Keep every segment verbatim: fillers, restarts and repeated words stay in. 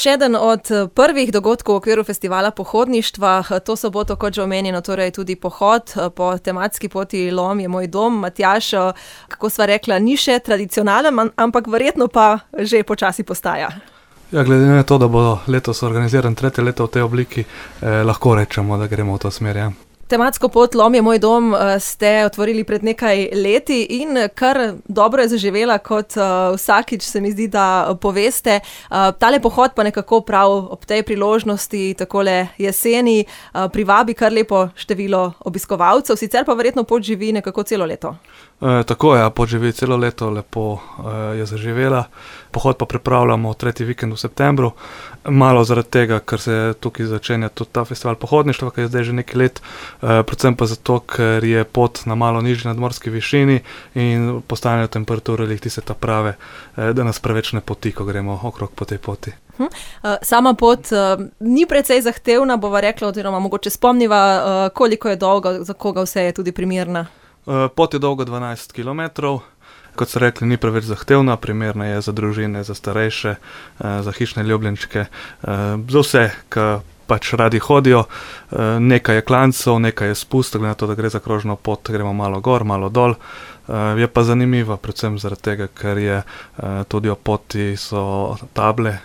Še eden od prvih dogodkov v okviru festivala pohodništva, to soboto, kot že omenjeno, torej tudi pohod po tematski poti Lom je moj dom. Matjaž, kako sva rekla, ni še tradicionalen, ampak verjetno pa že počasi postaja. Ja, glede na to, da bo letos organiziran tretje leto v tej obliki, eh, lahko rečemo, da gremo v to smer, ja. Tematsko pot Lom je moj dom ste otvorili pred nekaj leti in kar dobro je zaživela, kot vsakič se mi zdi, da poveste. Tale pohod pa nekako prav ob tej priložnosti, takole jeseni, privabi kar lepo število obiskovalcev, sicer pa verjetno pot živi nekako celo leto. E, tako je, pot živi celo leto, lepo e, je zaživela. Pohod pa pripravljamo tretji vikend v septembru. Malo zaradi tega, ker se tukaj začenja tudi ta festival pohodništva, ki je zdaj že nekaj let, e, predvsem pa zato, ker je pot na malo nižji nadmorski višini in postanejo temperature lih tiste ta prave, e, da nas preveč ne poti, ko gremo okrog po tej poti. Hm. Sama pot uh, ni precej zahtevna, bova rekla, oziroma mogoče spomniva, uh, koliko je dolga, za koga vse je tudi primerna. Uh, pot je dolga dvanajst kilometrov. Kot so rekli, ni preveč zahtevna, primerna je za družine, za starejše, za hišne ljubljenčke, za vse, ki pač radi hodijo. Nekaj je klancev, nekaj je spust, glede na to, da gre za krožno pot, gremo malo gor, malo dol. Je pa zanimiva, predvsem zaradi tega, ker je tudi o poti so table,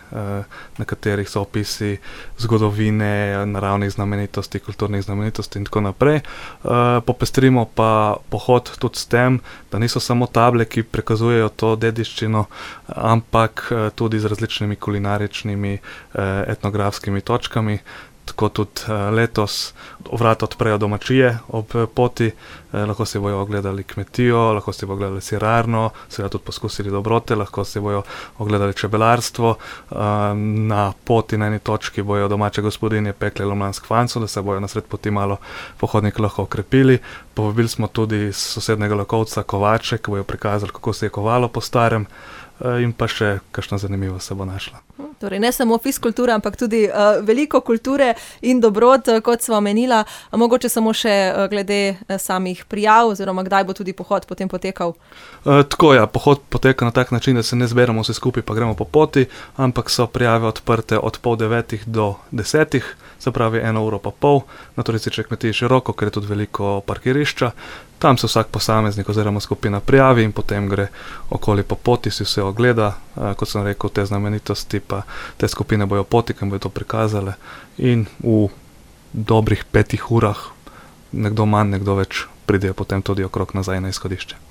na katerih so opisi zgodovine, naravnih znamenitosti, kulturnih znamenitosti in tako naprej. Popestrimo pa pohod tudi s tem, da niso samo table, ki prikazujejo to dediščino, ampak tudi z različnimi kulinaričnimi, etnografskimi točkami. Tako tudi letos vrata odprejo domačije ob poti, lahko si bojo ogledali kmetijo, lahko si bojo ogledali sirarno, seveda tudi poskusili dobrote, lahko si bojo ogledali čebelarstvo. Na poti na eni točki bojo domače gospodinje pekle lomljansk fanco, da se bojo na sred poti malo pohodniki lahko okrepili. Povabili smo tudi sosednega Lakovca kovače, ki bojo prikazali, kako se je kovalo po starem, in pa še kakšna zanimiva se bo našla. Torej ne samo fiskultura, ampak tudi uh, veliko kulture in dobrot, kot sva omenila. Mogoče samo še uh, glede samih prijav, oziroma kdaj bo tudi pohod potem potekal? Uh, tako ja, pohod poteka na tak način, da se ne zberemo vsi skupaj pa gremo po poti, ampak so prijave odprte od pol devetih do desetih, se pravi eno uro pa pol, na turistični kmetiji široko, ker je tudi veliko parkirišča. Tam se vsak posameznik oziroma skupina prijavi in potem gre okoli po poti, si vse ogleda, uh, kot sem rekel, te znamenitosti pa te skupine bojo poti, ki bojo to prikazale in v dobrih petih urah, nekdo manj, nekdo več, pridejo potem tudi okrog nazaj na izhodišče.